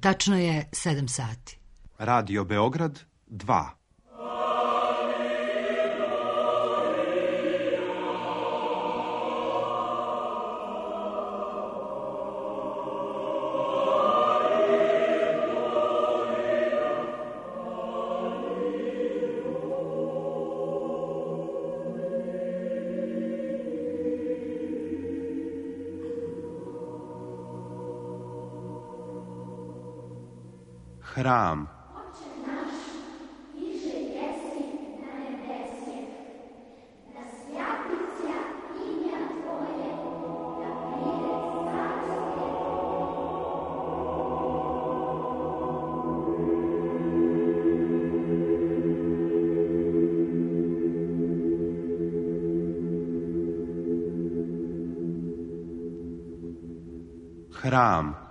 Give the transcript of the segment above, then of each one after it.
Tačno je 7 sati. Radio Beograd 2. Hram. Hram.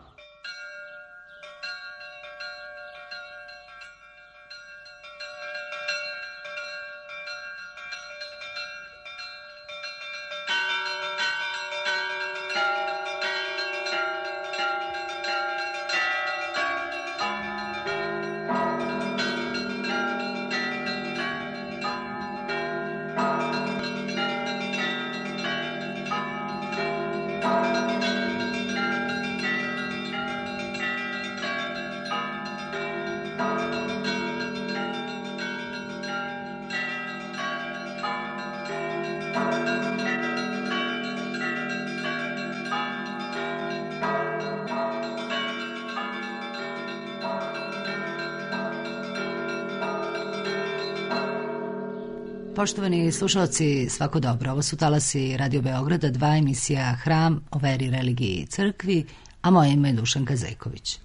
Poštovani slušalci, svako dobro. Ovo su talasi Radio Beograda 2, emisija Hram o veri, religiji i crkvi, a moje ime je Dušanka Zejković.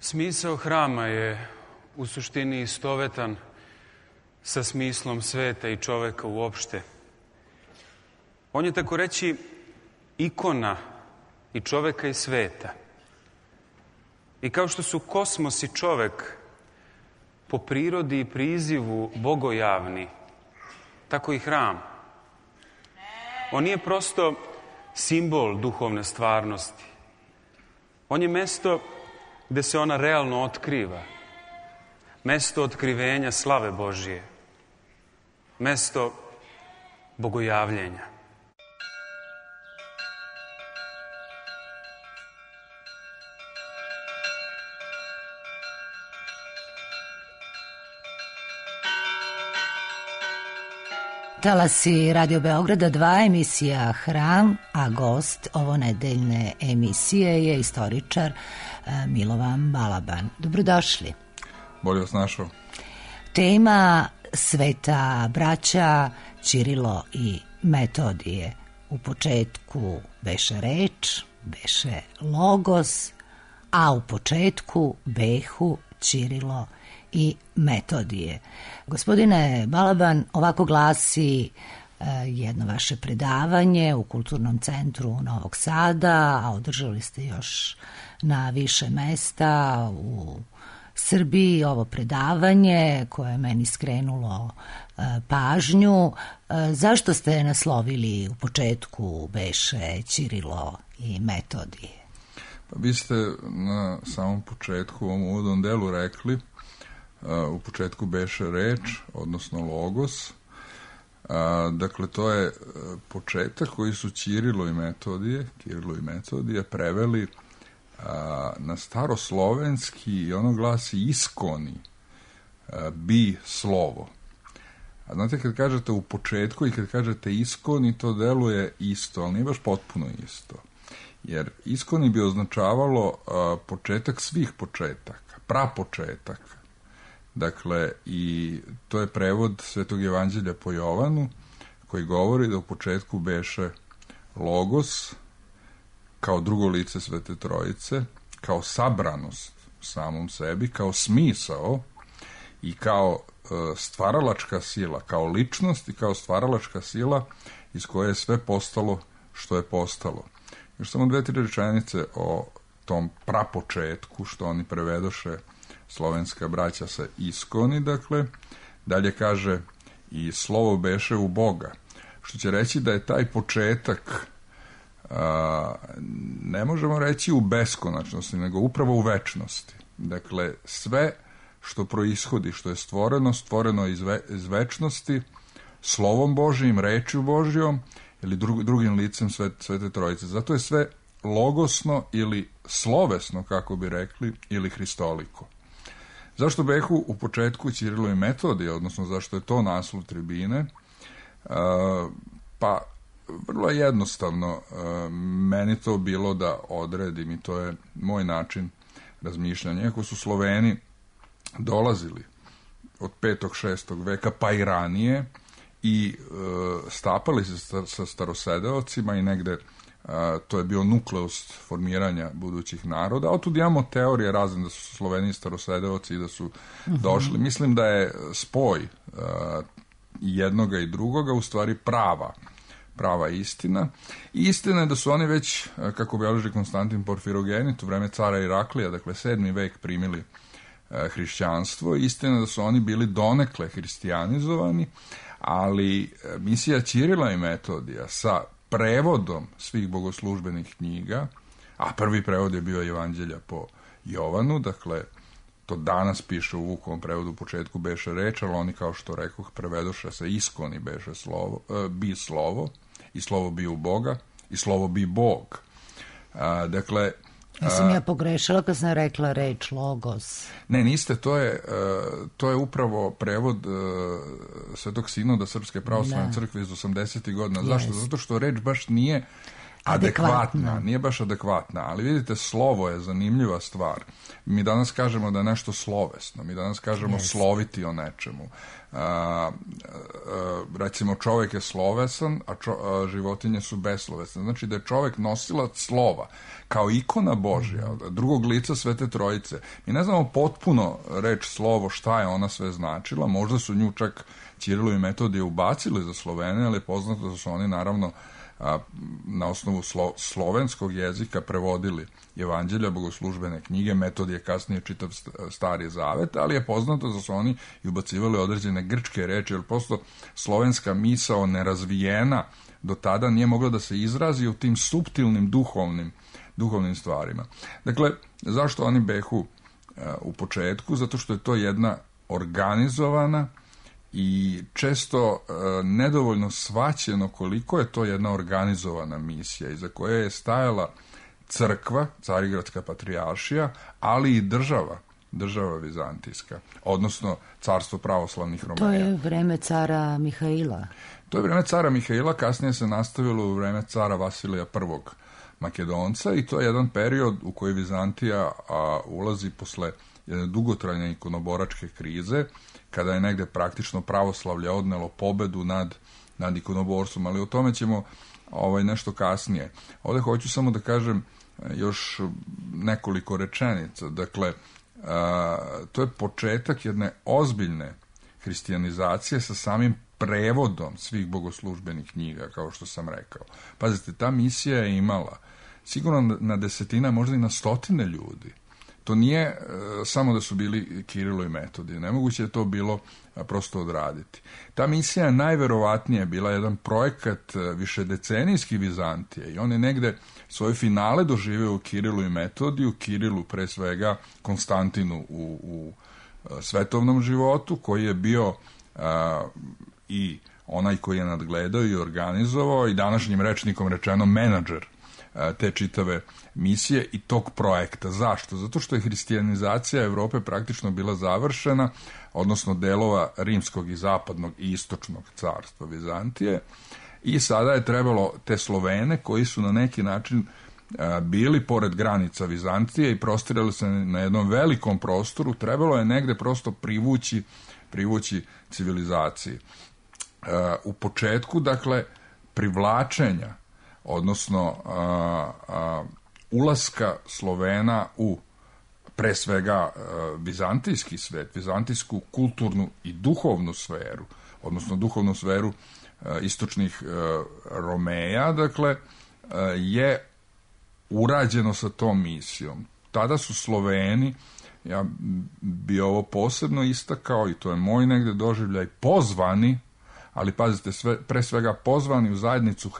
Smisao hrama je u suštini istovetan sa smislom sveta i čoveka uopšte. On je, tako reći, ikona i čoveka i sveta. I kao što su kosmos i čovek po prirodi i prizivu bogojavni, tako i hram. On nije prosto simbol duhovne stvarnosti. On je mesto gde se ona realno otkriva. Mesto otkrivenja slave Božije. Mesto bogojavljenja. Talasi Radio Beograda 2, emisija Hram, a gost ovonedeljne emisije je istoričar Milovan Balaban. Dobrodošli. Bolje vas našao. Tema sveta braća Ćirilo i Metodije. U početku beše reč, beše logos, a u početku behu Ćirilo i Metodije. Gospodine Balaban, ovako glasi jedno vaše predavanje u Kulturnom centru Novog Sada, a održali ste još na više mesta u Srbiji ovo predavanje koje je meni skrenulo pažnju. Zašto ste naslovili u početku beše Ćirilo i Metodije? Pa vi ste na samom početku u ovom uvodnom delu rekli, u početku beše reč, odnosno logos, Dakle, to je početak koji su Kirilo i Metodije preveli na staroslovenski i ono glasi iskoni, bi slovo. A znate, kad kažete u početku i kad kažete iskoni, to deluje isto, ali nije baš potpuno isto. Jer iskoni bi označavalo početak svih početaka, prapočetak. Dakle, i to je prevod Svetog evanđelja po Jovanu, koji govori da u početku beše Logos, kao drugo lice Svete Trojice, kao sabranost u samom sebi, kao smisao i kao stvaralačka sila, kao ličnost i kao stvaralačka sila iz koje je sve postalo što je postalo. Još samo 2-3 rečenice o tom prapočetku, što oni prevedoše slovenska braća sa iskoni, dakle, dalje kaže i slovo beše u Boga, što će reći da je taj početak ne možemo reći u beskonačnosti, nego upravo u večnosti. Dakle, sve što proishodi, što je stvoreno iz večnosti, slovom Božijim, rečju Božijom ili drugim licem Svete Trojice. Zato je sve logosno ili slovesno, kako bi rekli, ili hristoliko. Zašto behu u početku Kirilo i Metodije, odnosno zašto je to naslov tribine? Pa, vrlo jednostavno, meni to bilo da odredim i to je moj način razmišljanja. Iako su Sloveni dolazili od 5. 6. veka pa i ranije i stapali se sa starosedeocima i negde to je bio nukleus formiranja budućih naroda. A otud imamo teorije razne da su Sloveni starosedeoci i da su došli. Mislim da je spoj jednoga i drugoga u stvari prava istina. I istina je da su oni već, kako beleži Konstantin Porfirogenit, u vreme cara Iraklija, dakle 7. vek, primili hrišćanstvo. Istina je da su oni bili donekle hristijanizovani, ali misija Kirila i Metodija sa prevodom svih bogoslužbenih knjiga, a prvi prevod je bio Evanđelja po Jovanu, dakle, to danas piše u Vukovom prevodu, u početku beše reč, ali oni, kao što rekoh, prevedoše sa iskoni beše slovo, bi slovo, i slovo bi u Boga, i slovo bi Bog. Dakle, Nisam ja pogrešila kad sam rekla reč logos. Ne, niste, to je upravo prevod Svetog Sinoda Srpske pravoslavne crkve iz 80. godina. Zašto? Zato što reč baš nije adekvatna. Nije baš adekvatna, ali vidite, slovo je zanimljiva stvar. Mi danas kažemo da je nešto slovesno, mi danas kažemo sloviti o nečemu. Recimo, čovjek je slovesan, a životinje su beslovesne. Znači da je čovjek nosilac slova, kao ikona Božja, drugog lica Svete Trojice. Mi ne znamo potpuno reč slovo, šta je ona sve značila, možda su nju čak Kirilo i Metodije ubacili za Slovene, ali je poznato da su oni naravno na osnovu slovenskog jezika prevodili Evanđelja, bogoslužbene knjige, Metodije kasnije čitav Stari Zavet, ali je poznato da su oni i ubacivali određene grčke reči, jer prosto slovenska misao nerazvijena do tada nije mogla da se izrazi u tim suptilnim duhovnim stvarima. Dakle, zašto oni behu u početku? Zato što je to jedna organizovana i često nedovoljno shvaćeno koliko je to jedna organizovana misija iza koje je stajala crkva, Carigradska patrijaršija, ali i država vizantijska, odnosno carstvo pravoslavnih Romeja. To je vreme cara Mihaila. To je vreme cara Mihaila, kasnije se nastavilo u vreme cara Vasilija I. Makedonca i to je jedan period u koji Vizantija ulazi posle jedne dugotrajne ikonoboračke krize, kada je negde praktično pravoslavlje odnelo pobedu nad ikonoborstvom, ali o tome ćemo nešto kasnije. Ovdje hoću samo da kažem još nekoliko rečenica. Dakle, to je početak jedne ozbiljne hristijanizacije sa samim prevodom svih bogoslužbenih knjiga, kao što sam rekao. Pazite, ta misija je imala sigurno na desetina, možda i na stotine ljudi. To nije samo da su bili Kirilo i Metodije. Nemoguće je to bilo prosto odraditi. Ta misija je najverovatnije bila jedan projekat višedecenijski Vizantije i on je negde svoje finale doživio u Kirilu i Metodiju, Kirilu pre svega, Konstantinu u svetovnom životu, koji je bio i onaj koji je nadgledao i organizovao i današnjim rečnikom rečeno menadžer te čitave misije i tog projekta. Zašto? Zato što je hristijanizacija Evrope praktično bila završena, odnosno delova rimskog i zapadnog i istočnog carstva Vizantije, i sada je trebalo te Slovene koji su na neki način bili pored granica Vizantije i prostirali se na jednom velikom prostoru, trebalo je negde prosto privući civilizaciji. U početku, dakle, privlačenja, odnosno ulaska Slovena u pre svega vizantijski svet, vizantijsku kulturnu i duhovnu sferu, odnosno duhovnu sferu istočnih Romeja, dakle, je urađeno sa tom misijom. Tada su Sloveni, ja bi ovo posebno istakao i to je moj negde doživljaj, pozvani, ali pazite, pre svega pozvani u zajednicu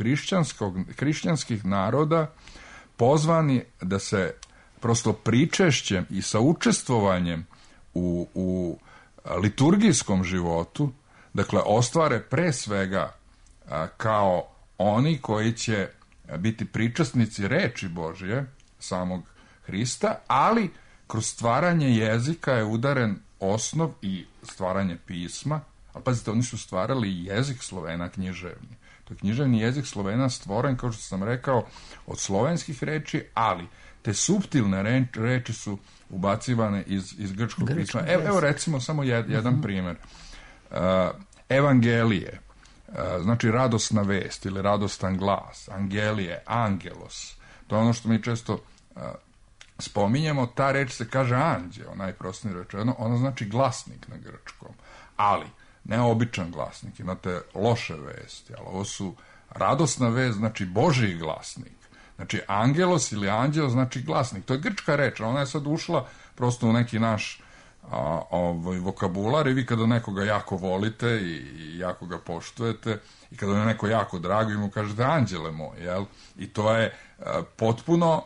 hrišćanskih naroda, pozvani da se prosto pričešćem i sa učestvovanjem u liturgijskom životu, dakle, ostvare pre svega kao oni koji će biti pričasnici reči Božje, samog Hrista, ali kroz stvaranje jezika je udaren osnov i stvaranje pisma. Ali pazite, oni su stvarali jezik Slovena književni. To je književni jezik Slovena stvoren, kao što sam rekao, od slovenskih reči, ali te suptilne reči su ubacivane iz grčkog pisma. Evo recimo samo jedan primjer. Evangelije, znači radosna vest ili radostan glas, angelije, angelos, to je ono što mi često spominjemo, ta reč se kaže anđeo, najprostnije rečeno, ona znači glasnik na grčkom, ali ne običan glasnik, imate loše vesti, ali ovo su radosna vest, znači Božji glasnik, znači angelos ili anđeo znači glasnik, to je grčka reč, ona je sad ušla prosto u neki naš vokabular i vi kada nekoga jako volite i jako ga poštujete i kada je neko jako drago i mu kažete anđele moj, jel? I to je potpuno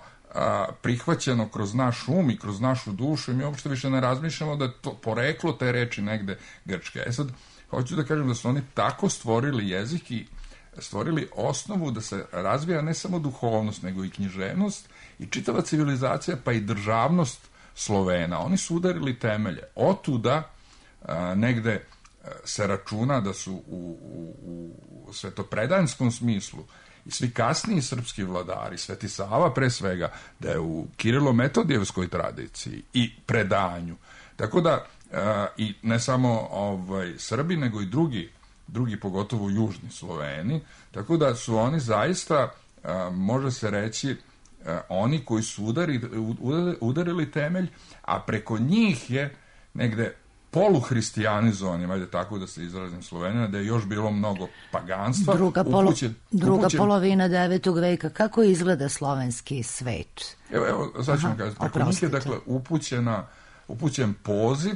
prihvaćeno kroz naš um i kroz našu dušu i mi uopšte više ne razmišljamo da je to poreklo te reči negde grčke. Sad, hoću da kažem da su oni tako stvorili jezik i stvorili osnovu da se razvija ne samo duhovnost, nego i književnost i čitava civilizacija, pa i državnost Slovena. Oni su udarili temelje. Otuda negde se računa da su u svetopredanskom smislu i svi kasniji srpski vladari, Sveti Sava pre svega, da je u Kirilo-Metodijevskoj tradiciji i predanju. Tako da, i ne samo Srbi, nego i drugi pogotovo južni Sloveni, tako da su oni zaista, može se reći, oni koji su udarili temelj, a preko njih je negde poluhristijanizovanjem, ajde tako da se izrazim, Slovenija, da je još bilo mnogo paganstva. Druga polovina 9. veka. Kako izgleda slovenski svet? Evo, sad ću vam kazati. Preko njih je, dakle, upućen poziv,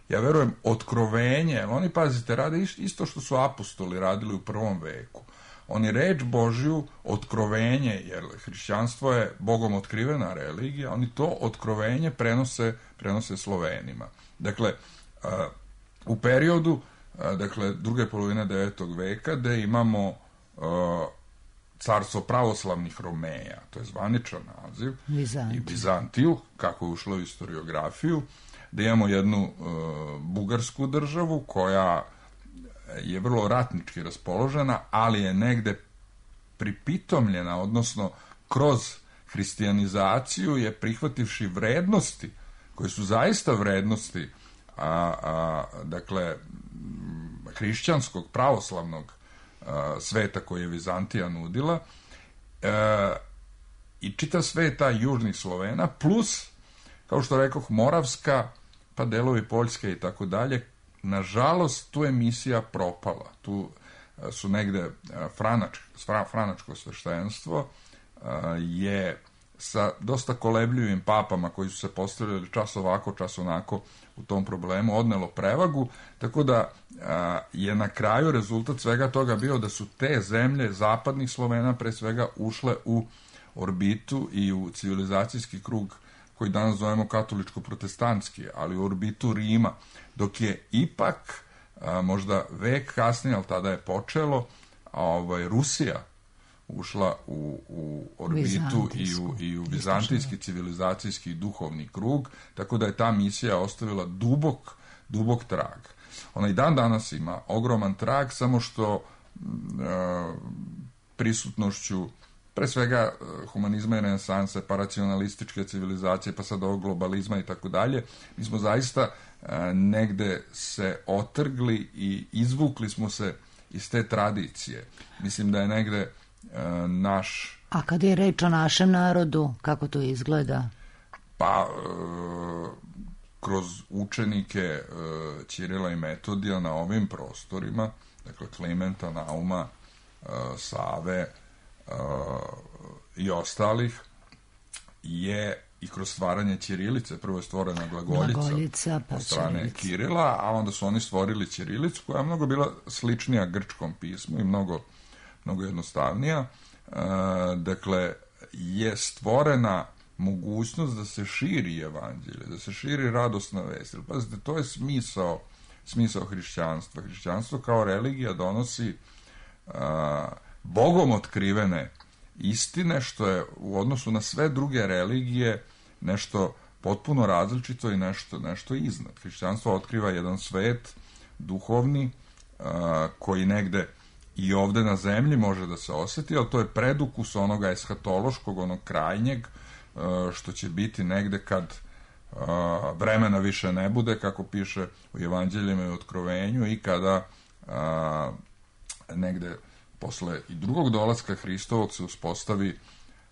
ja verujem, otkrovenje. Oni, pazite, rade isto što su apostoli radili u 1. veku. Oni reč Božju, otkrovenje, jer hrišćanstvo je Bogom otkrivena religija, oni to otkrovenje prenose Slovenima. Dakle, u periodu, dakle, druge polovine 9. veka, gde imamo carstvo pravoslavnih Romeja, to je zvaničan naziv, i Bizantiju, kako je ušlo u historiografiju, da imamo jednu bugarsku državu koja je vrlo ratnički raspoložena, ali je negde pripitomljena, odnosno kroz hristijanizaciju je prihvativši vrednosti, koje su zaista vrednosti, dakle, hrišćanskog, pravoslavnog sveta koji je Vizantija nudila, i čitav sveta južnih Slovena, plus, kao što rekoh, Moravska, pa delovi Poljske i tako dalje. Nažalost, tu je misija propala. Tu su negde franačko sveštenstvo je sa dosta kolebljivim papama koji su se postavljali čas ovako, čas onako u tom problemu, odnelo prevagu, tako da je na kraju rezultat svega toga bio da su te zemlje zapadnih Slovena pre svega ušle u orbitu i u civilizacijski krug koji danas zovemo katoličko-protestantski, ali u orbitu Rima, dok je ipak možda vek kasnije, ali tada je počelo, Rusija ušla u orbitu i u vizantijski civilizacijski duhovni krug, tako da je ta misija ostavila dubok trag. Ona i dan danas ima ogroman trag, samo što prisutnošću pre svega humanizma i renesanse, pa racionalističke civilizacije, pa sad ovog globalizma i tako dalje, mi smo zaista negde se otrgli i izvukli smo se iz te tradicije. Mislim da je negde naš... A kad je reč o našem narodu, kako to izgleda? Pa, kroz učenike Ćirila i Metodija na ovim prostorima, dakle Klimenta, Nauma, Save i ostalih, je i kroz stvaranje ćirilice, prvo je stvorena glagoljica od strane Kirila, a onda su oni stvorili ćirilicu koja je mnogo bila sličnija grčkom pismu i mnogo jednostavnija. Dakle, je stvorena mogućnost da se širi evanđelje, da se širi radosna vest. Pazite, to je smisao hrišćanstva. Hrišćanstvo kao religija donosi Bogom otkrivene istine, što je u odnosu na sve druge religije nešto potpuno različito i nešto iznad. Hrišćanstvo otkriva jedan svet duhovni koji negde i ovde na zemlji može da se osjeti, ali to je predukus onoga eshatološkog, onog krajnjeg, što će biti negde kad vremena više ne bude, kako piše u Evanđeljima i Otkrovenju, i kada negde posle i drugog dolaska Hristovog se uspostavi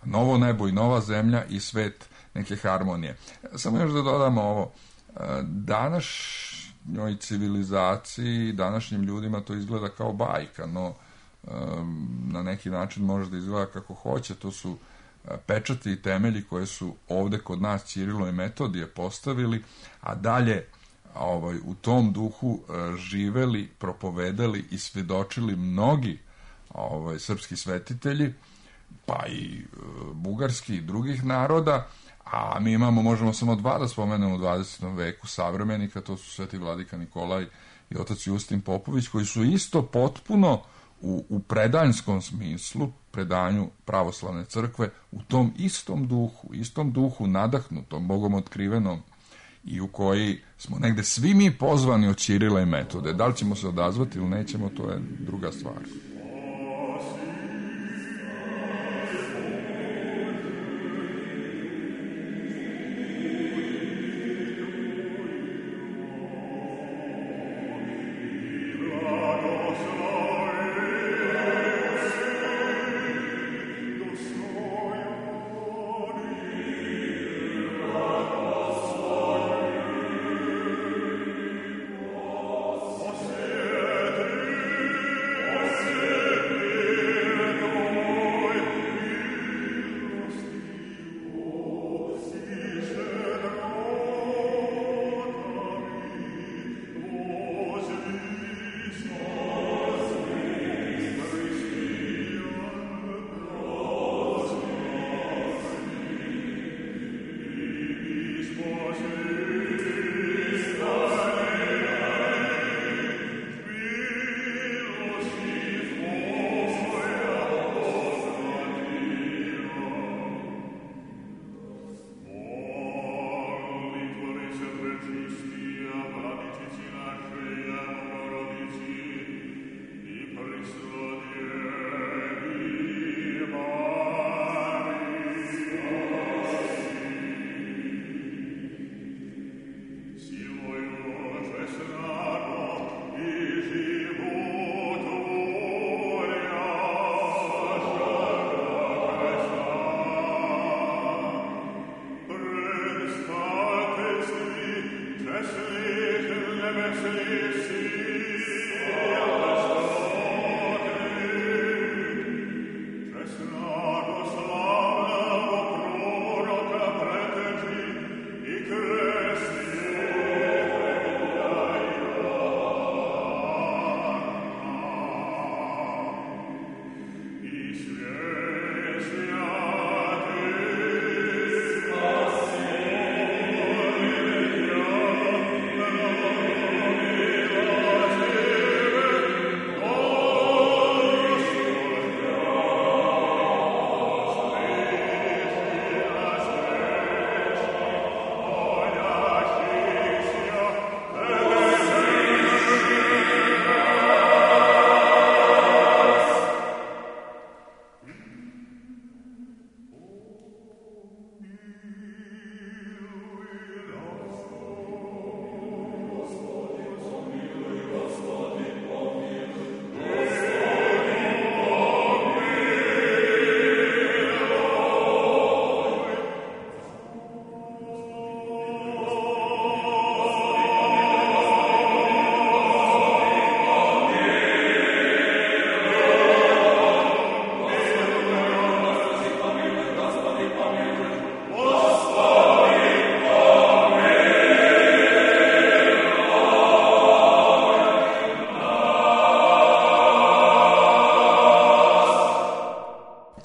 novo nebo i nova zemlja i svet neke harmonije. Samo još da dodamo ovo, današnjoj civilizaciji, današnjim ljudima to izgleda kao bajka, no na neki način može da izgleda kako hoće. To su pečati i temelji koje su ovde kod nas Ćirilo i Metodije postavili, a dalje u tom duhu živeli, propovedali i svedočili mnogi srpski svetitelji, pa i bugarski i drugih naroda, a mi možemo samo dva da spomenemo u 20. veku savremenika, to su Sveti Vladika Nikolaj i otac Justin Popović, koji su isto potpuno u predanjskom smislu, predanju pravoslavne crkve, u tom istom duhu nadahnutom, Bogom otkrivenom, i u koji smo negde svi mi pozvani od Ćirila i Metode. Da li ćemo se odazvati ili nećemo, to je druga stvar.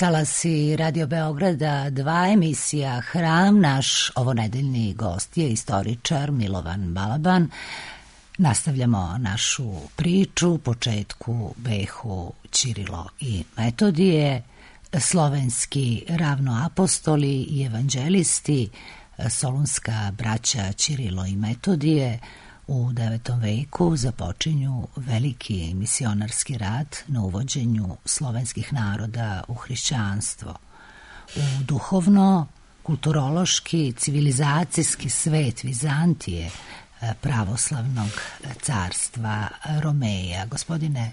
talasi Radio Beograda 2, emisija Hram. Naš ovonedeljni gost je istoričar Milovan Balaban. Nastavljamo našu priču, početku behu Ćirilo i Metodije, slovenski ravnoapostoli i evanđelisti, solunska braća Ćirilo i Metodije. U 9. veku započinju veliki misionarski rad na uvođenju slovenskih naroda u hrišćanstvo. U duhovno, kulturološki, civilizacijski svet Vizantije, pravoslavnog carstva Romeja. Gospodine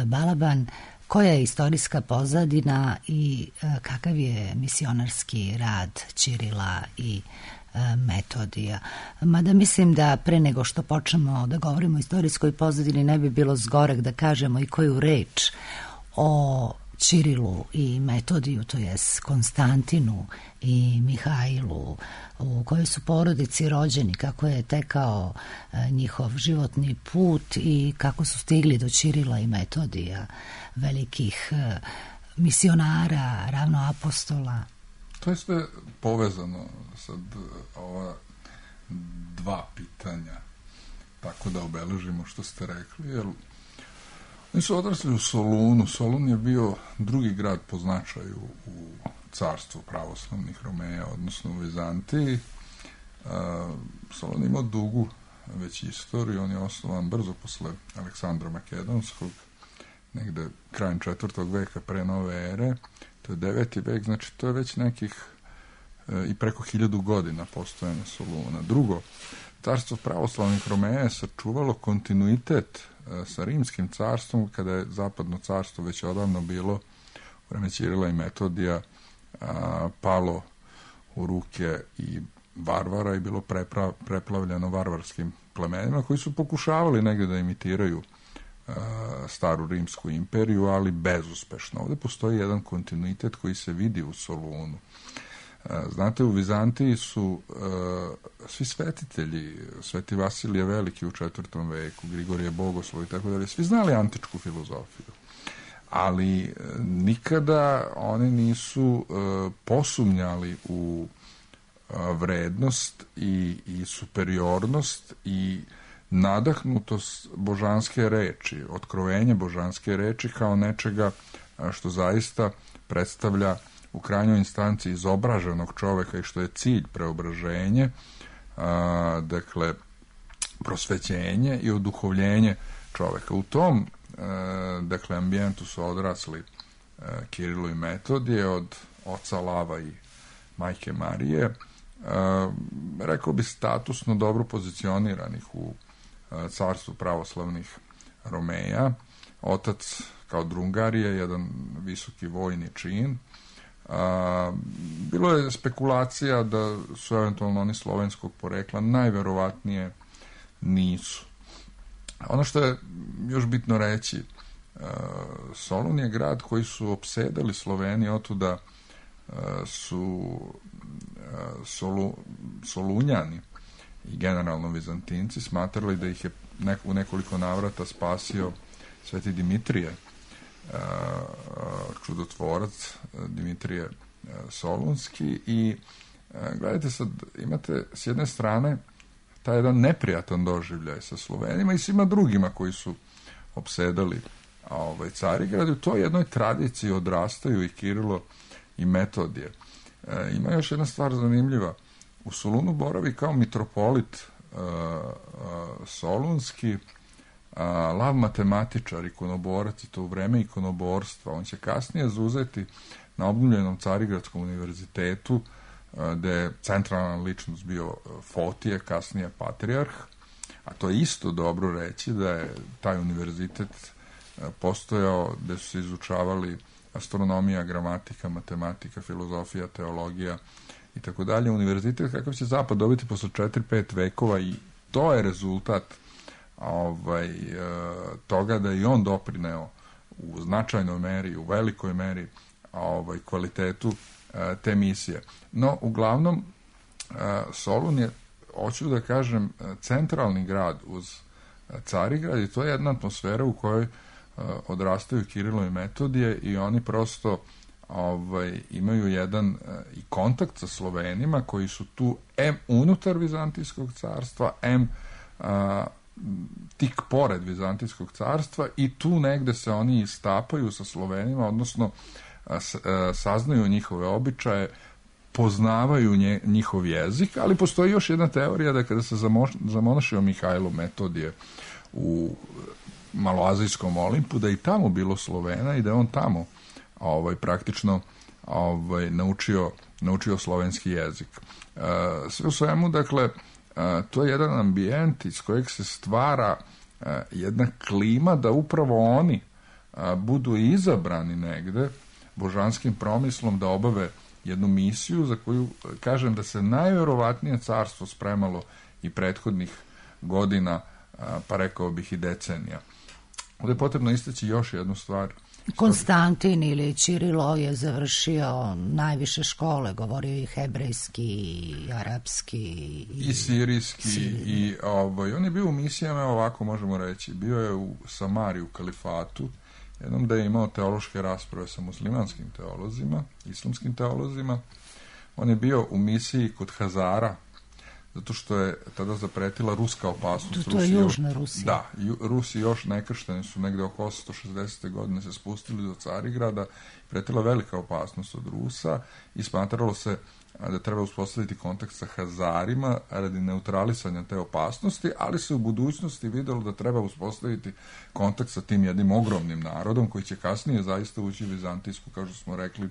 Balaban, koja je istorijska pozadina i kakav je misionarski rad Ćirila i Metodija? Mada mislim da pre nego što počnemo da govorimo o istorijskoj pozadini ne bi bilo zgorek da kažemo i koju reč o Ćirilu i Metodiju, to jest Konstantinu i Mihajlu, u kojoj su porodici rođeni, kako je tekao njihov životni put i kako su stigli do Ćirila i Metodija, velikih misionara, ravnoapostola. To je sve povezano sad ova dva pitanja, tako da obeležimo što ste rekli, jer oni su odrasli u Solunu. Solun je bio drugi grad po značaju u carstvu pravoslavnih Romeja, odnosno u Vizantiji. Solun imao dugu već istoriju, on je osnovan brzo posle Aleksandra Makedonskog, negde krajem 4. veka pre nove ere. To je 9. vek, znači to je već nekih i preko 1000 godina postojanja Soluna. Drugo, carstvo pravoslavnih Romeja je sačuvalo kontinuitet sa rimskim carstvom, kada je zapadno carstvo već odavno bilo u vreme Ćirila i Metodija palo u ruke i varvara i bilo preplavljeno varvarskim plemenima koji su pokušavali negde da imitiraju staru rimsku imperiju, ali bezuspešno. Ovde postoji jedan kontinuitet koji se vidi u Solunu. Znate, u Vizantiji su svi svetitelji, Sveti Vasilije Veliki u 4. veku, Grigorije Bogoslov i tako dalje, svi znali antičku filozofiju, ali nikada oni nisu posumnjali u vrednost i superiornost i nadahnutost božanske reči, otkrovenje božanske reči kao nečega što zaista predstavlja u krajnjoj instanci izobraženog čoveka i što je cilj preobraženje, dakle prosvećenje i oduhovljenje čoveka. U tom dakle ambijentu su odrasli Kirilo i Metodije, od oca Lava i majke Marije, rekao bi statusno dobro pozicioniranih u carstvu pravoslavnih Romeja. Otac kao drungarije, jedan visoki vojni čin. Bilo je spekulacija da su eventualno oni slovenskog porekla, najverovatnije nisu. Ono što je još bitno reći, Solun je grad koji su opsedali Sloveni, otuda su Solunjani i generalno Vizantinci smatrali da ih je u nekoliko navrata spasio Sveti Dimitrije, čudotvorac Dimitrije Solunski. I gledajte sad, imate s jedne strane taj jedan neprijatan doživljaj sa Slovenima i svima drugima koji su opsedali Carigrad. U toj jednoj tradiciji odrastaju i Kirilo i Metodije. Ima još jedna stvar zanimljiva. U Solunu boravi kao mitropolit Solunski Lav matematičar, ikonoborac, i to u vreme ikonoborstva. On će kasnije zauzeti na obnovljenom Carigradskom univerzitetu, gde je centralna ličnost bio Fotije, kasnije patrijarh, a to je isto dobro reći da je taj univerzitet postojao gde su se izučavali astronomija, gramatika, matematika, filozofija, teologija i tako dalje. Univerzitet kakav će Zapad dobiti posle 4-5 vekova, i to je rezultat toga da je on doprineo u značajnoj meri, u velikoj meri kvalitetu te misije. No, uglavnom, Solun je, hoću da kažem, centralni grad uz Carigrad, i to je jedna atmosfera u kojoj odrastaju Kirilo i Metodije, i oni prosto imaju jedan i kontakt sa Slovenima koji su tu unutar Vizantijskog carstva, tik pored Vizantijskog carstva, i tu negde se oni istapaju sa Slovenima, odnosno saznaju njihove običaje, poznavaju njihov jezik, ali postoji još jedna teorija da kada se zamonašio Mihajlo Metodije u Maloazijskom Olimpu, da je i tamo bilo Slovena i da je on tamo praktično naučio slovenski jezik. Sve u svemu, dakle, to je jedan ambijent iz kojeg se stvara jedna klima da upravo oni budu izabrani negde božanskim promislom da obave jednu misiju za koju kažem da se najverovatnije carstvo spremalo i prethodnih godina, pa rekao bih i decenija. Ovdje je potrebno istaći još jednu stvar. Konstantin ili Ćirilo je završio najviše škole, govorio i hebrejski, i arapski, i sirijski, i on je bio u misijama, ovako možemo reći, bio je u Samariji, u kalifatu, jednom da je imao teološke rasprave sa muslimanskim teolozima, islamskim teolozima. On je bio u misiji kod Hazara, zato što je tada zapretila ruska opasnost. To je Južna Rusija. Da, Rusi još nekršteni su negde oko 860. godine se spustili do Carigrada, pretila velika opasnost od Rusa i smatralo se da treba uspostaviti kontakt sa Hazarima radi neutralisanja te opasnosti, ali se u budućnosti videlo da treba uspostaviti kontakt sa tim jednim ogromnim narodom koji će kasnije zaista ući u vizantijsku, kao što smo rekli,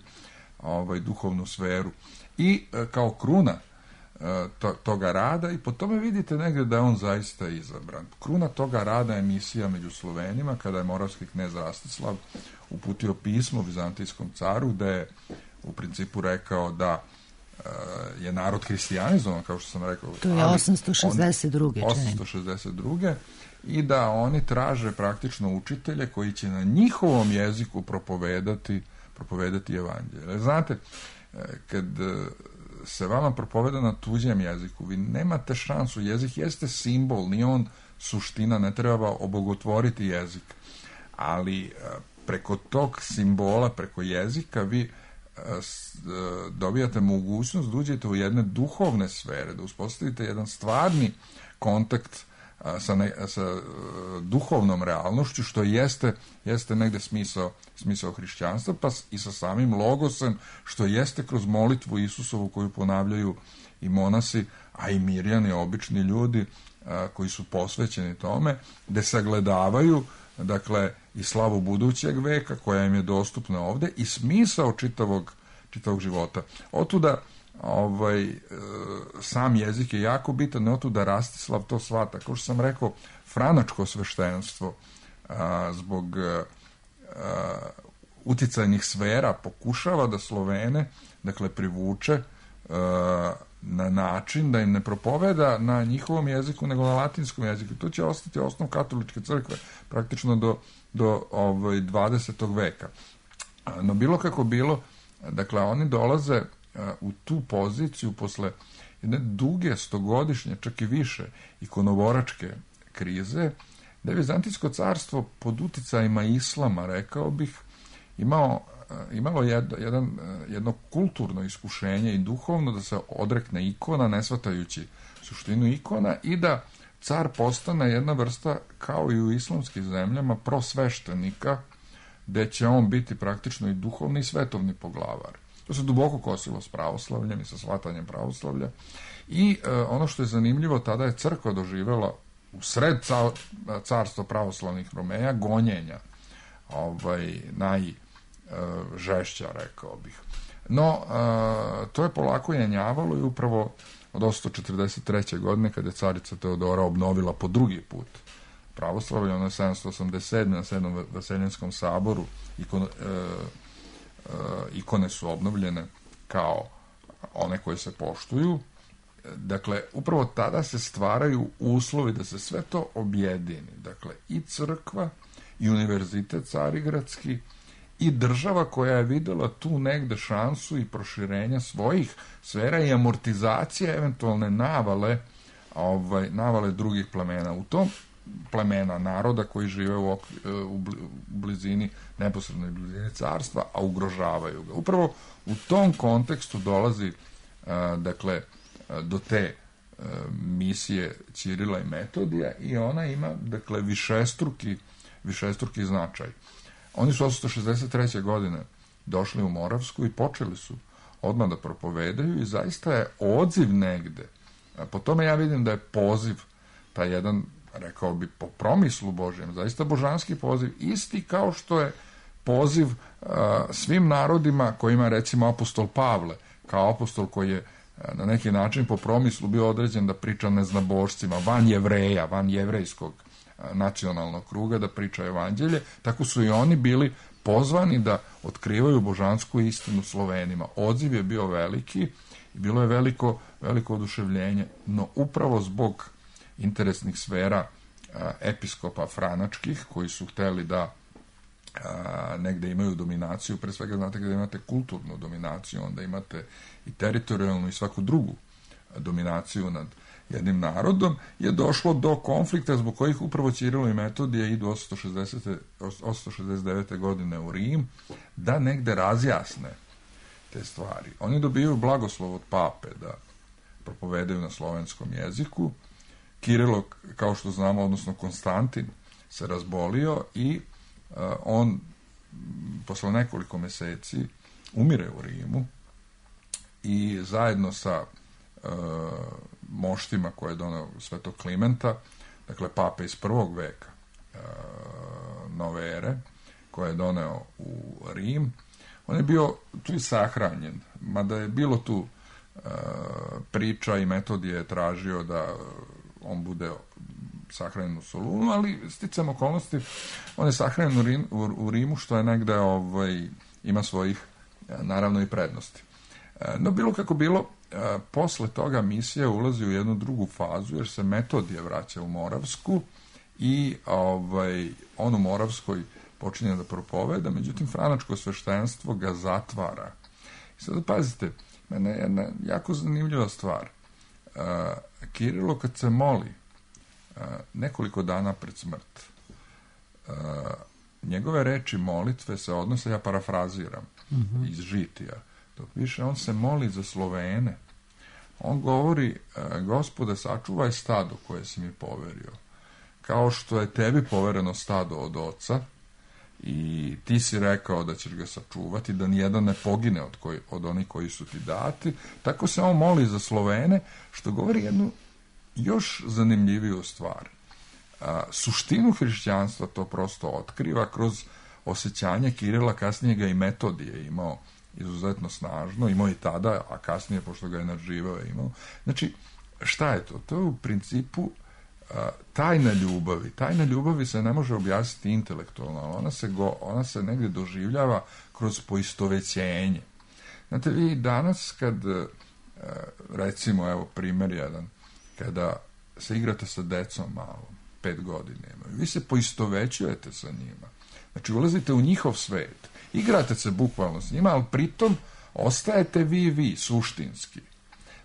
duhovnu sferu. I kao kruna toga rada, i po tome vidite negdje da je on zaista izabran. Kruna toga rada je misija među Slovenima, kada je moravski knez Rastislav uputio pismo vizantijskom caru, gde je u principu rekao da je narod hristijanizovan, kao što sam rekao. To je 862. 862. I da oni traže praktično učitelje koji će na njihovom jeziku propovedati evanđelje. Znate, kad se vama propoveda na tuđem jeziku, vi nemate šansu, jezik jeste simbol, nije on suština, ne treba obogotvoriti jezik, ali preko tog simbola, preko jezika vi dobijate mogućnost da uđete u jedne duhovne sfere, da uspostavite jedan stvarni kontakt sa duhovnom realnošću, što jeste negde smisao hrišćanstva, pa i sa samim logosem, što jeste kroz molitvu Isusovu koju ponavljaju i monasi, a i mirjani, obični ljudi koji su posvećeni tome, gde sagledavaju, dakle, i slavu budućeg veka koja im je dostupna ovde i smisao čitavog života. Otuda sam jezik je jako bitan, otuda Rastislav to shvata. Kao što sam rekao, franačko sveštenstvo zbog uticajnih sfera pokušava da Slovene, dakle, privuče na način da im ne propoveda na njihovom jeziku, nego na latinskom jeziku. To će ostati osnov katoličke crkve praktično do 20. veka. No bilo kako bilo, dakle, oni dolaze u tu poziciju posle jedne duge, stogodišnje, čak i više, ikonoboračke krize, da je Vizantijsko carstvo pod uticajima islama, rekao bih, imalo jedno kulturno iskušenje i duhovno da se odrekne ikona, ne shvatajući suštinu ikona, i da car postane jedna vrsta, kao i u islamskim zemljama, prosveštenika, gde će on biti praktično i duhovni i svetovni poglavar. To se duboko kosilo s pravoslavljem i sa shvatanjem pravoslavlja. I ono što je zanimljivo, tada je crkva doživjela u sred carstva pravoslavnih Romeja gonjenja, najžešća, rekao bih. No, to je polako jenjavalo i upravo od 843. godine, kada je carica Teodora obnovila po drugi put pravoslavlje, ono je 787. na 7. Vaseljenskom saboru, ikone su obnovljene kao one koje se poštuju. Dakle, upravo tada se stvaraju uslovi da se sve to objedini. Dakle, i crkva, i univerzitet carigradski, i država koja je videla tu negde šansu i proširenja svojih sfera i amortizacija eventualne navale drugih plemena. U tom plemena, naroda koji žive u blizini, neposrednoj blizini carstva, a ugrožavaju ga. Upravo u tom kontekstu dolazi dakle do te misije Ćirila i Metodija i ona ima dakle višestruki značaj. Oni su 863. godine došli u Moravsku i počeli su odmah da propovedaju i zaista je odziv negde. Po tome ja vidim da je poziv, taj jedan, rekao bi, po promislu Božjem, zaista božanski poziv, isti kao što je poziv svim narodima kojima, recimo, apostol Pavle, kao apostol koji je na neki način po promislu bio određen da priča neznabošcima, van Jevreja, van jevrejskog nacionalnog kruga, da priča evanđelje, tako su i oni bili pozvani da otkrivaju božansku istinu Slovenima. Odziv je bio veliki i bilo je veliko oduševljenje, no upravo zbog interesnih sfera episkopa franačkih, koji su hteli da negde imaju dominaciju, pre svega znate kada imate kulturnu dominaciju, onda imate i teritorijalnu i svaku drugu dominaciju nad jednim narodom, je došlo do konflikta zbog kojih upravo Ćirilo i Metodije idu 869. godine u Rim da negde razjasne te stvari. Oni dobiju blagoslov od pape da propovedaju na slovenskom jeziku. Kirilo, kao što znamo, odnosno Konstantin, se razbolio i on posle nekoliko meseci umire u Rimu i zajedno sa moštima koje je doneo Svetog Klimenta, dakle pape iz prvog veka nove ere, koje je doneo u Rim, on je bio tu i sahranjen, mada je bilo tu priča i Metodije je tražio da on bude sahranjen u Solunu, ali sticam okolnosti, on je sahranjen u Rimu, što je negde ima svojih, naravno, i prednosti. No, bilo kako bilo, posle toga misija ulazi u jednu drugu fazu, jer se Metodije vraća u Moravsku i on u Moravskoj počinje da propoveda, međutim, franačko sveštenstvo ga zatvara. I sad, pazite, mene je jedna jako zanimljiva stvar. Kirilo, kad se moli nekoliko dana pred smrt, njegove reči molitve se odnose, ja parafraziram iz Žitija, dok više on se moli za Slovene. On govori: Gospode, sačuvaj stado koje si mi poverio, kao što je tebi povereno stado od oca i ti si rekao da ćeš ga sačuvati, da nijedan ne pogine od onih koji su ti dati. Tako se on moli za Slovene, što govori jednu još zanimljiviju stvar. Suštinu hrišćanstva to prosto otkriva kroz osjećanje Kirila, kasnije ga i Metodije imao izuzetno snažno, imao i tada, a kasnije, pošto ga je nadživao, je imao. Znači, šta je to? To je u principu tajna ljubavi. Tajna ljubavi se ne može objasniti intelektualno, ona se negdje doživljava kroz poistovećenje. Znate, vi danas kad, recimo, evo primjer jedan, kada se igrate sa decom malo, 5 godina imaju, vi se poistovećujete sa njima. Znači, ulazite u njihov svet, igrate se bukvalno s njima, ali pritom ostajete vi, suštinski.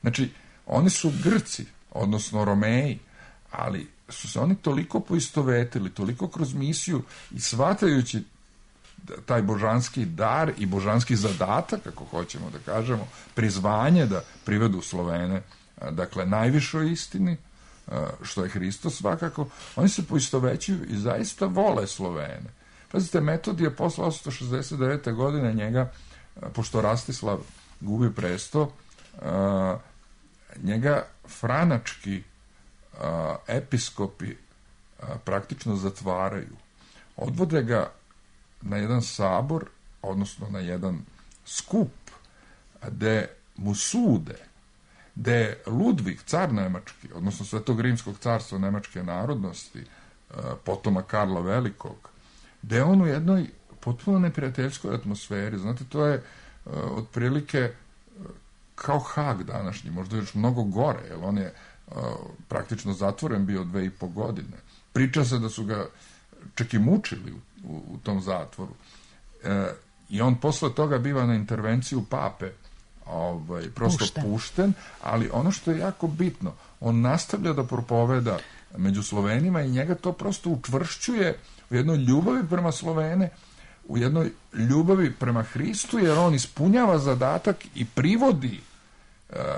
Znači, oni su Grci, odnosno Romeji, ali su se oni toliko poistovetili, toliko kroz misiju i shvatajući taj božanski dar i božanski zadatak, ako hoćemo da kažemo, prizvanje da privedu Slovene, dakle, najvišoj istini, što je Hristos svakako, oni se poistovećuju i zaista vole Slovene. Pazite, Metodije posle 869. godine njega, pošto Rastislav gubi presto, njega franački episkopi praktično zatvaraju. Odvode ga na jedan sabor, odnosno na jedan skup, gde mu sude, gde Ludvig, car Nemački, odnosno Svetog rimskog carstva nemačke narodnosti, potoma Karla Velikog, gde on u jednoj potpuno neprijateljskoj atmosferi, znate, to je otprilike kao Hag današnji, možda još mnogo gore, jer on je praktično zatvoren bio 2,5 godine. Priča se da su ga čak i mučili u tom zatvoru. I on posle toga biva na intervenciju pape prosto pušten, ali ono što je jako bitno, on nastavlja da propoveda među Slovenima i njega to prosto učvršćuje u jednoj ljubavi prema Slovene, u jednoj ljubavi prema Hristu, jer on ispunjava zadatak i privodi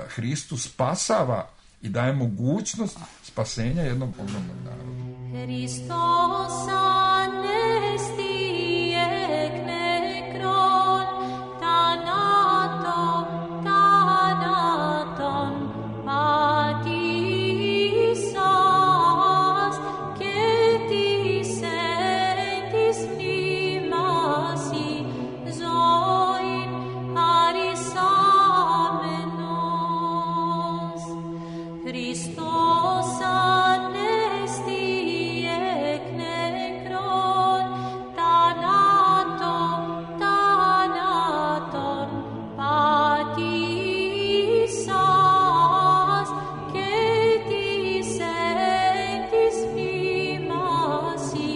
Hristu, spasava i daje mogućnost spasenja jednog ogromnog naroda. Hristos anesti ek nekron, thanaton patisas, ketis entis mimasi, zoin arisamenos. Hristos anesti ek nekron, thanaton patisas, ketis entis mimasi,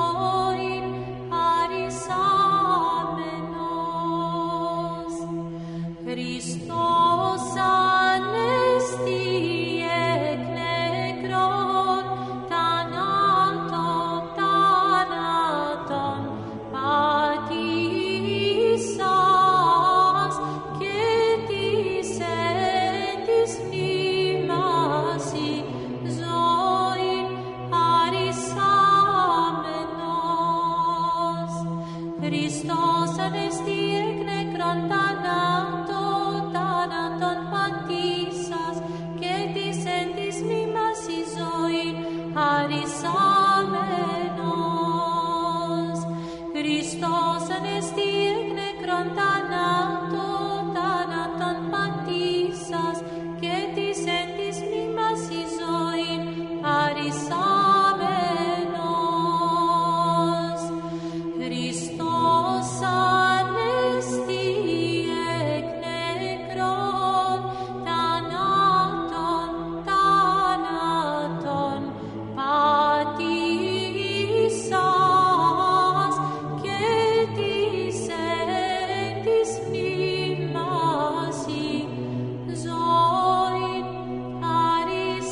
zoin arisamenos. Hristos anesti ek nekron, thanaton patisas, ketis entis mimasi, zoin arisamenos. Hristos anesti ek nekron, thanaton patisas, ketis entis mimasi, zoin arisamenos. Hristos anesti ek nekron, thanaton patisas, ketis entis mimasi, zoin arisamenos. Hristos anesti ek nekron, thanaton patisas, ketis entis mimasi, zoin arisamenos.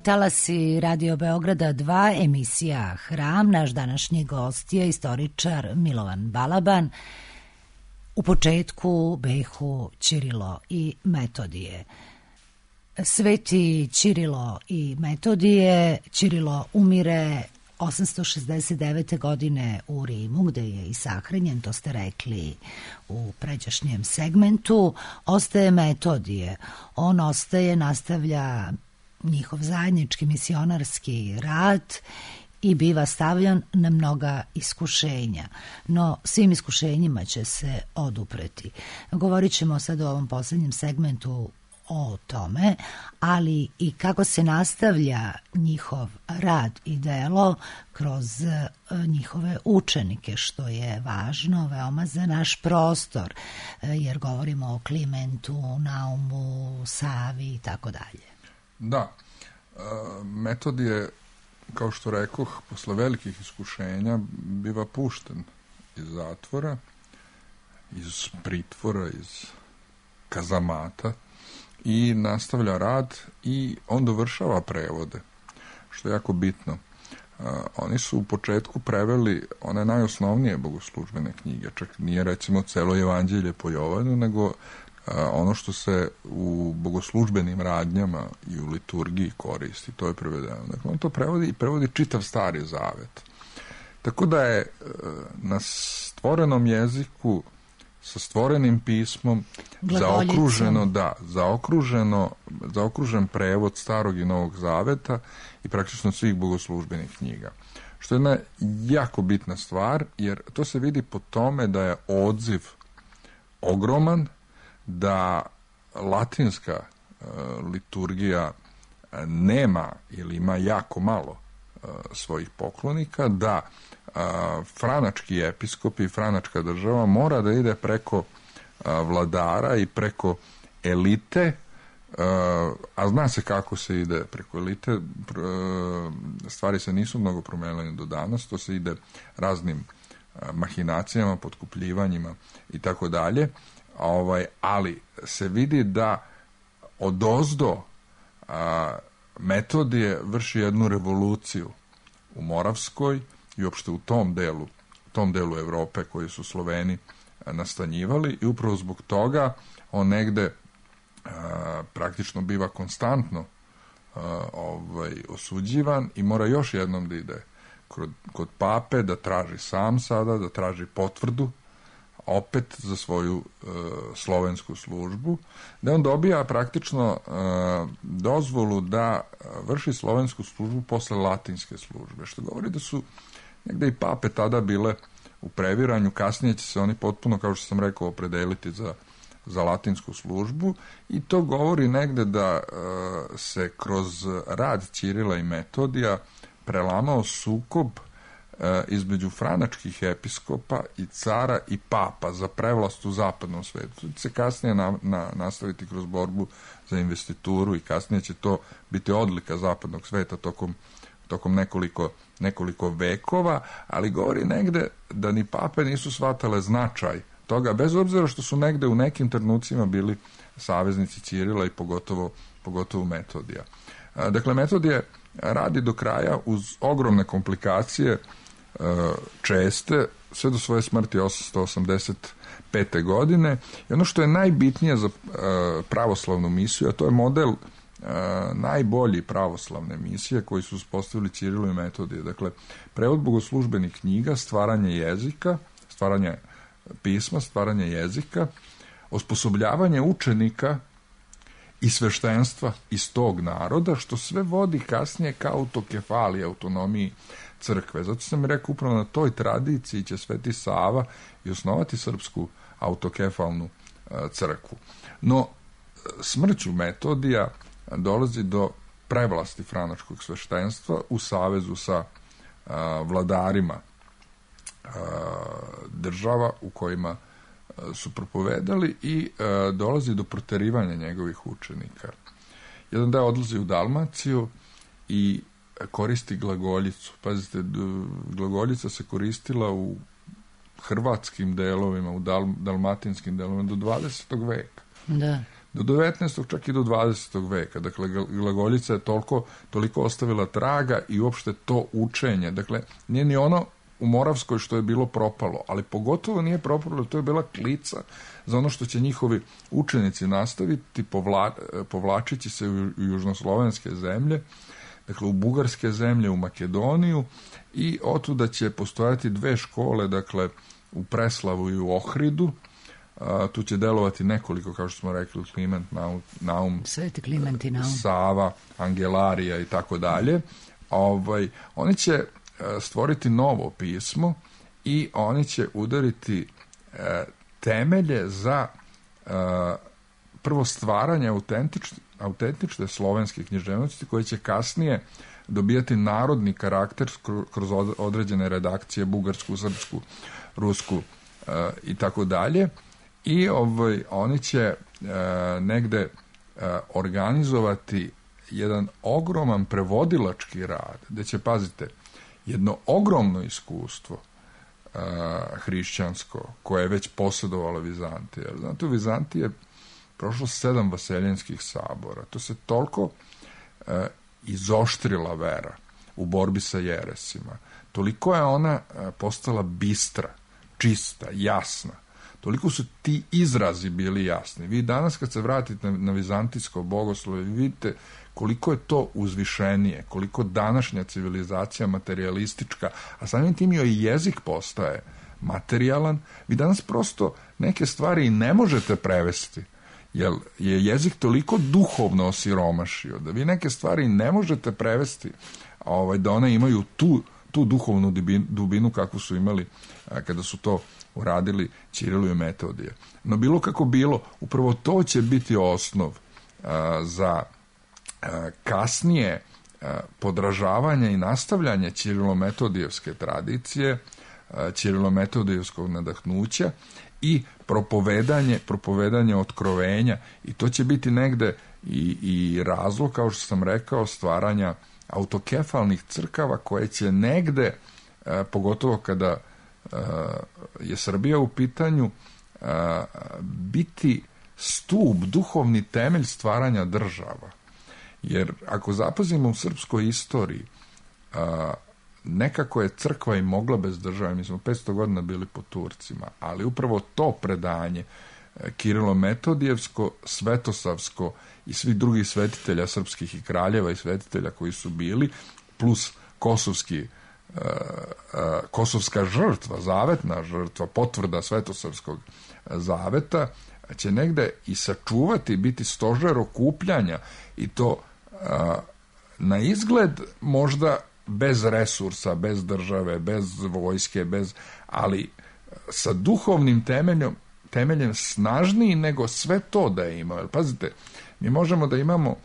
Talasi Radio Beograda 2, emisija Hram. Naš današnji gost je istoričar Milovan Balaban. U početku behu Ćirilo i Metodije. Sveti Ćirilo i Metodije. Ćirilo umire 869. godine u Rimu, gde je i sahranjen, to ste rekli u pređašnjem segmentu. Ostaje Metodije. On ostaje, nastavlja njihov zajednički misionarski rad i biva stavljan na mnoga iskušenja. No, svim iskušenjima će se odupreti. Govorit ćemo sad u ovom posljednjem segmentu o tome, ali i kako se nastavlja njihov rad i delo kroz njihove učenike, što je važno veoma za naš prostor, jer govorimo o Klimentu, Naumu, Savi i tako dalje. Da, Metodije, kao što rekoh, posle velikih iskušenja biva pušten iz zatvora, iz pritvora, iz kazamata i nastavlja rad i on dovršava prevode, što je jako bitno. Oni su u početku preveli one najosnovnije bogoslužbene knjige, čak nije recimo celo evanđelje po Jovanu, nego ono što se u bogoslužbenim radnjama i u liturgiji koristi, to je prevedeno. Dakle, on to prevodi i prevodi čitav Stari Zavet. Tako da je na stvorenom jeziku, sa stvorenim pismom, zaokružen prevod Starog i Novog Zaveta i praktično svih bogoslužbenih knjiga. Što je jedna jako bitna stvar, jer to se vidi po tome da je odziv ogroman, da latinska liturgija nema ili ima jako malo svojih poklonika, da franački episkop i franačka država mora da ide preko vladara i preko elite, a zna se kako se ide preko elite, stvari se nisu mnogo promenile do danas, to se ide raznim mahinacijama, potkupljivanjima i tako dalje. ali se vidi da odozdo Metodije vrši jednu revoluciju u Moravskoj i uopšte u tom delu Evrope koji su Sloveni nastanjivali, i upravo zbog toga on negde praktično biva konstantno osuđivan i mora još jednom da ide kod pape, da traži sam sada, da traži potvrdu opet za svoju slovensku službu, da on dobija praktično dozvolu da vrši slovensku službu posle latinske službe, što govori da su negde i pape tada bile u previranju. Kasnije će se oni potpuno, kao što sam rekao, opredeliti za latinsku službu, i to govori negde da se kroz rad Ćirila i Metodija prelamao sukob između franačkih episkopa i cara i papa za prevlast u zapadnom svetu. To će se kasnije nastaviti kroz borbu za investituru, i kasnije će to biti odlika zapadnog sveta tokom nekoliko vekova, ali govori negde da ni pape nisu shvatale značaj toga, bez obzira što su negde u nekim trenucima bili saveznici Ćirila i pogotovo Metodija. Dakle, Metodije radi do kraja uz ogromne komplikacije, česte, sve do svoje smrti 885. godine. I ono što je najbitnije za pravoslavnu misiju, a to je model najbolji pravoslavne misije koji su uspostavili Ćirilo i Metodije. Dakle, prevod bogoslužbenih knjiga, stvaranje jezika, stvaranje pisma, stvaranje jezika, osposobljavanje učenika i sveštenstva iz tog naroda, što sve vodi kasnije ka autokefaliji, autonomiji crkve. Zato sam rekao, upravo na toj tradiciji će Sveti Sava i osnovati srpsku autokefalnu crkvu. No, smrću Metodija dolazi do prevlasti franačkog sveštenstva u savezu sa vladarima država u kojima su propovedali, i dolazi do proterivanja njegovih učenika. Jedan deo odlazi u Dalmaciju i koristi glagoljicu. Pazite, glagoljica se koristila u hrvatskim delovima, u dalmatinskim delovima do 20. veka. Da. Do 19. čak i do 20. veka. Dakle, glagoljica je toliko ostavila traga i uopšte to učenje. Dakle, nije ni ono u Moravskoj što je bilo propalo, ali pogotovo nije propalo, to je bila klica za ono što će njihovi učenici nastaviti, povlačići se u južnoslovenske zemlje, dakle u bugarske zemlje, u Makedoniju, i otuda će postojati dve škole, dakle u Preslavu i u Ohridu. Tu će delovati nekoliko, kao što smo rekli, Kliment, Naum, Sveti Kliment i Naum, Sava, Angelarija i tako dalje. Oni će stvoriti novo pismo i oni će udariti temelje za prvo stvaranje autentične slovenske književnosti, koje će kasnije dobijati narodni karakter kroz određene redakcije, bugarsku, srpsku, rusku i tako dalje. I oni će negde organizovati jedan ogroman prevodilački rad, gde će, pazite, jedno ogromno iskustvo hrišćansko, koje je već posjedovalo Vizantija. Znate, u Vizantiji je prošlo 7 vaseljenskih sabora. To se toliko izoštrila vera u borbi sa jeresima. Toliko je ona postala bistra, čista, jasna. Toliko su ti izrazi bili jasni. Vi danas kad se vratite na vizantijsko bogoslovje, vidite koliko je to uzvišenije, koliko današnja civilizacija materialistička, a samim tim joj jezik postaje materijalan. Vi danas prosto neke stvari i ne možete prevesti, jer je jezik toliko duhovno osiromašio, da vi neke stvari ne možete prevesti, da one imaju tu duhovnu dubinu kakvu su imali kada su to uradili Ćirilo i Metodije. No bilo kako bilo, upravo to će biti osnov za kasnije podražavanje i nastavljanje Ćirilo-metodijevske tradicije, Ćirilo-metodijevskog nadahnuća i propovedanje otkrovenja. I to će biti negde i razlog, kao što sam rekao, stvaranja autokefalnih crkava koje će negde, pogotovo kada je Srbija u pitanju, biti stup, duhovni temelj stvaranja država. Jer ako zapazimo u srpskoj istoriji, nekako je crkva i mogla bez države. Mi smo 500 godina bili pod Turcima, ali upravo to predanje Kirilo-Metodijevsko, Svetosavsko i svih drugih svetitelja srpskih i kraljeva i svetitelja koji su bili, plus kosovska žrtva, zavetna žrtva, potvrda Svetosavskog zaveta, će negde i sačuvati, biti stožer okupljanja, i to na izgled možda bez resursa, bez države, bez vojske, ali sa duhovnim temeljem snažniji nego sve to da je imao. Pazite, mi možemo da imamo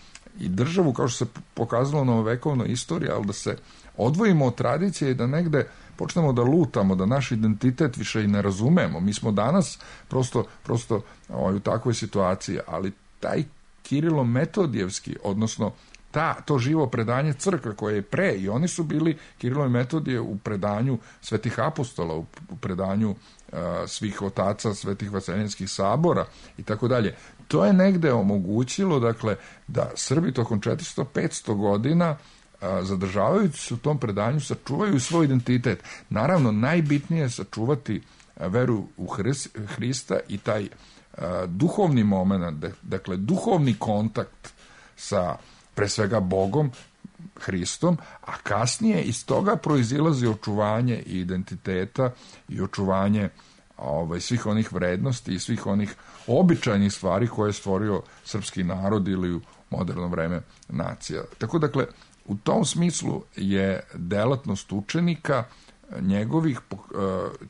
i državu, kao što se pokazalo u novovekovnoj istoriji, ali da se odvojimo od tradicije i da negde počnemo da lutamo, da naš identitet više i ne razumemo. Mi smo danas prosto u takvoj situaciji, ali taj Kirilo-Metodijevski, odnosno to živo predanje crkve koje je pre, i oni su bili, Kirilo i Metodije, u predanju svetih apostola, u predanju svih otaca svetih vaseljenskih sabora i tako dalje. To je negde omogućilo, dakle, da Srbi tokom 400-500 godina zadržavajući se u tom predanju sačuvaju svoj identitet. Naravno, najbitnije je sačuvati veru u Hrista i taj duhovni moment, dakle, duhovni kontakt sa pre svega Bogom, Hristom, a kasnije iz toga proizilazi očuvanje i identiteta i očuvanje svih onih vrednosti i svih onih običajnih stvari koje je stvorio srpski narod ili u moderno vreme nacija. Tako, dakle, u tom smislu je delatnost učenika njegovih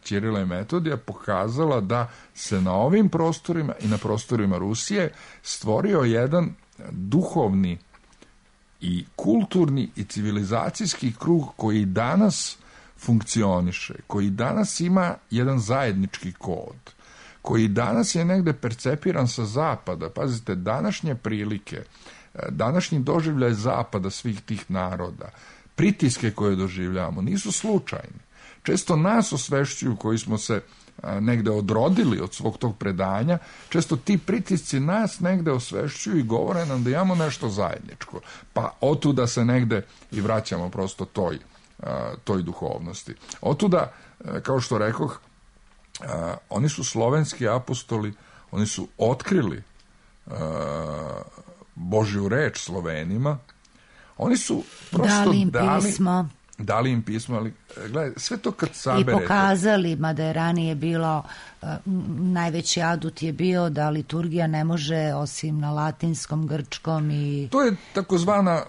Ćirila i Metodija pokazala da se na ovim prostorima i na prostorima Rusije stvorio jedan duhovni i kulturni i civilizacijski krug koji danas funkcioniše, koji danas ima jedan zajednički kod, koji danas je negde percepiran sa zapada. Pazite, današnje prilike, današnji doživljaj zapada svih tih naroda, pritiske koje doživljavamo, nisu slučajni. Često nas osvešćuju koji smo se negde odrodili od svog tog predanja, često ti pritisci nas negde osvešćuju i govore nam da imamo nešto zajedničko. Pa otuda se negde i vraćamo prosto toj duhovnosti. Otuda, kao što rekoh, oni su slovenski apostoli, oni su otkrili Božju reč Slovenima, oni su prosto dali im pismo, ali gledaj, sve to kad saberete... I pokazali, mada je ranije bilo, najveći adut je bio da liturgija ne može osim na latinskom, grčkom i... To je takozvana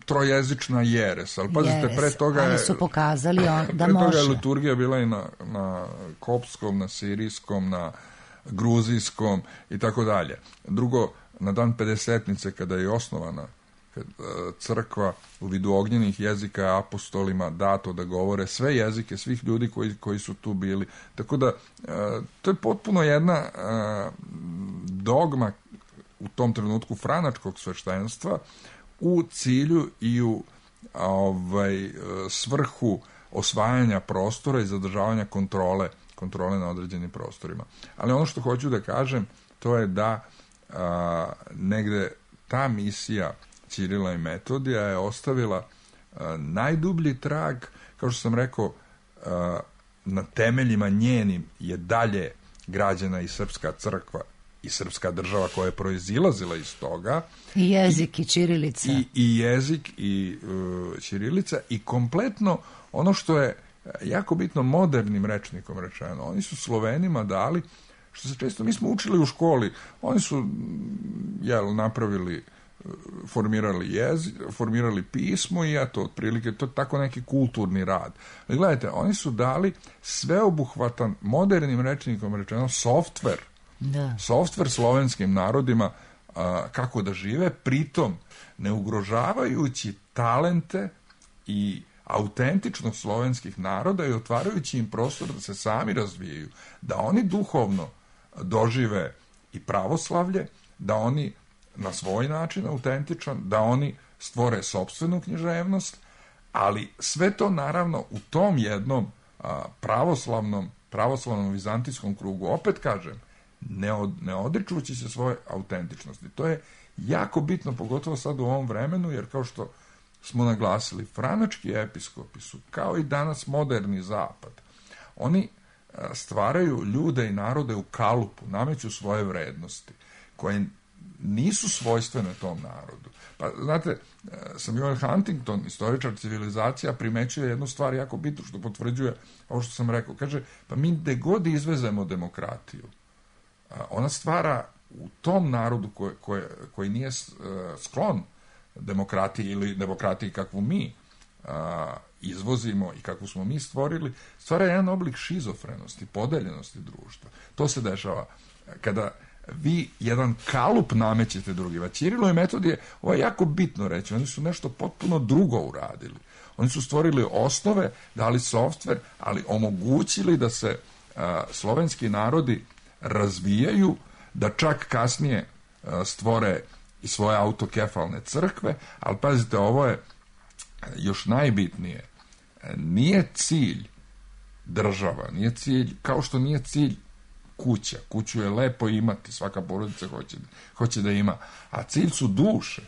trojezična jeres, ali pazite, pre toga je... Ali su pokazali da pre može. Toga je liturgija bila i na kopskom, na sirijskom, na gruzijskom i tako dalje. Drugo, na dan Pedesetnice, kada je osnovana crkva, u vidu ognjenih jezika je apostolima dato da govore sve jezike svih ljudi koji su tu bili. Tako da, to je potpuno jedna dogma u tom trenutku franačkog sveštenstva u cilju i u svrhu osvajanja prostora i zadržavanja kontrole na određenim prostorima. Ali ono što hoću da kažem, to je da negde ta misija Ćirila i Metodija je ostavila najdublji trag, kao što sam rekao, na temeljima njenim je dalje građena i srpska crkva i srpska država koja je proizilazila iz toga. I jezik i ćirilica. I jezik i ćirilica i kompletno ono što je jako bitno modernim rečnikom rečeno. Oni su Slovenima dali, što se često, mi smo učili u školi, oni su napravili, formirali pismo i eto, otprilike, to je tako neki kulturni rad. Ali gledajte, oni su dali sveobuhvatan, modernim rečnikom rečeno, softver slovenskim narodima kako da žive, pritom ne ugrožavajući talente i autentičnost slovenskih naroda i otvarajući im prostor da se sami razvijaju, da oni duhovno dožive i pravoslavlje, da oni na svoj način autentičan, da oni stvore sopstvenu književnost, ali sve to naravno u tom jednom pravoslavnom pravoslavnom vizantijskom krugu, opet kažem, ne odričući se svoje autentičnosti. To je jako bitno, pogotovo sad u ovom vremenu, jer kao što smo naglasili, franački episkopi su, kao i danas moderni zapad, oni stvaraju ljude i narode u kalupu, nameću svoje vrednosti, koje nisu svojstvene tom narodu. Pa, znate, Samuel Huntington, istoričar civilizacija, primećuje jednu stvar jako bitnu, što potvrđuje ovo što sam rekao. Kaže, pa mi gde god izvezemo demokratiju, ona stvara u tom narodu koji nije sklon demokratiji ili demokratiji kakvu mi izvozimo i kakvu smo mi stvorili, stvara jedan oblik šizofrenosti, podeljenosti društva. To se dešava kada vi jedan kalup namećete drugima. Ćirilo i Metodije, ovo je jako bitno reći, oni su nešto potpuno drugo uradili. Oni su stvorili osnove, dali softver, ali omogućili da se slovenski narodi razvijaju, da čak kasnije stvore i svoje autokefalne crkve, ali pazite, ovo je još najbitnije. Nije cilj država, nije cilj, kao što nije cilj kuća. Kuću je lepo imati, svaka porodica hoće da ima, a cilj su duše.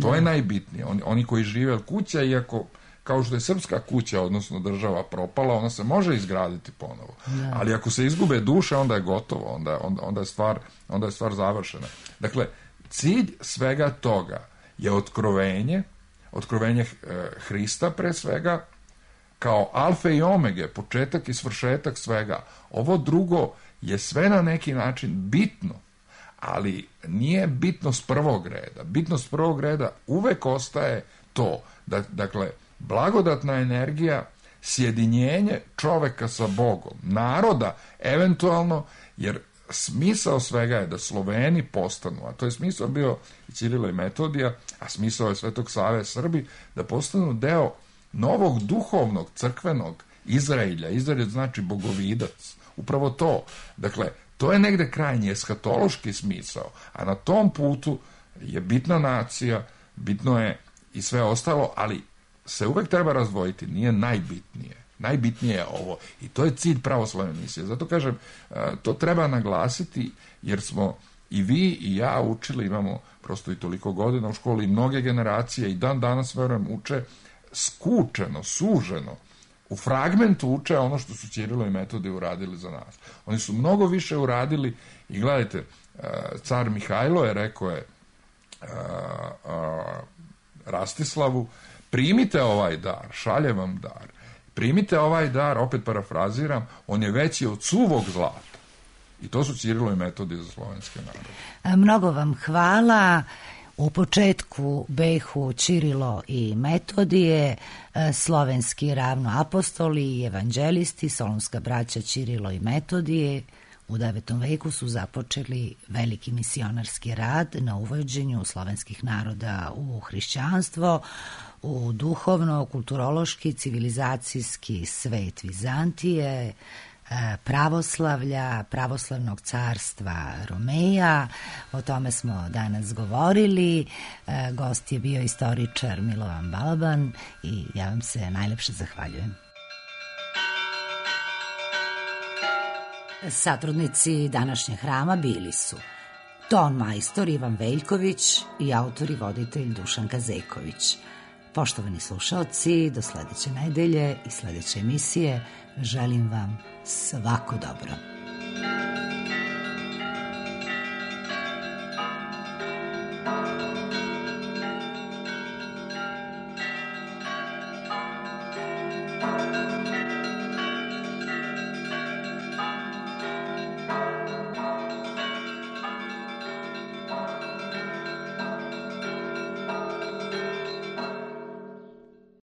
To je najbitnije. Oni koji žive od kuća, iako kao što je srpska kuća, odnosno država propala, ona se može izgraditi ponovo. Ali ako se izgube duše, onda je gotovo, onda je stvar završena. Dakle, cilj svega toga je otkrovenje Hrista pre svega, kao alfe i omege, početak i svršetak svega. Ovo drugo je sve na neki način bitno, ali nije bitnost prvog reda. Bitnost prvog reda uvek ostaje to. Dakle, blagodatna energija, sjedinjenje čoveka sa Bogom, naroda, eventualno, jer smisao svega je da Sloveni postanu, a to je smisao bio i Ćirila i Metodija, a smisao je Svetog Save Srbi, da postanu deo novog duhovnog, crkvenog Izraelja. Izraelj znači bogovidac. Upravo to. Dakle, to je negde krajnji eshatološki smisao, a na tom putu je bitna nacija, bitno je i sve ostalo, ali se uvek treba razdvojiti, nije najbitnije. Najbitnije je ovo i to je cilj pravoslavne misije. Zato kažem, to treba naglasiti, jer smo i vi i ja učili, imamo prosto i toliko godina u školi, i mnoge generacije i dan danas, verujem, uče skučeno, suženo, u fragmentu uče ono što su Ćirilo i Metodije uradili za nas. Oni su mnogo više uradili i gledajte, car Mihajlo je rekao Rastislavu, primite ovaj dar, šaljem vam dar. Primite ovaj dar, opet parafraziram, on je veći od suvog zlata. I to su Ćirilo i Metodije za slovenske narode. Mnogo vam hvala. U početku behu Ćirilo i Metodije, slovenski ravnoapostoli i evanđelisti, solunska braća Ćirilo i Metodije, u 9. veku su započeli veliki misionarski rad na uvođenju slovenskih naroda u hrišćanstvo, u duhovno, kulturološki, civilizacijski svet Vizantije, pravoslavlja, pravoslavnog carstva Romeja. O tome smo danas govorili. Gost je bio istoričar Milovan Balaban i ja vam se najlepše zahvaljujem. Satrudnici današnjeg hrama bili su ton majstor Ivan Veljković i autor i voditelj Dušan Kazeković. Poštovani slušaoci, do sledeće nedelje i sledeće emisije želim vam svako dobro.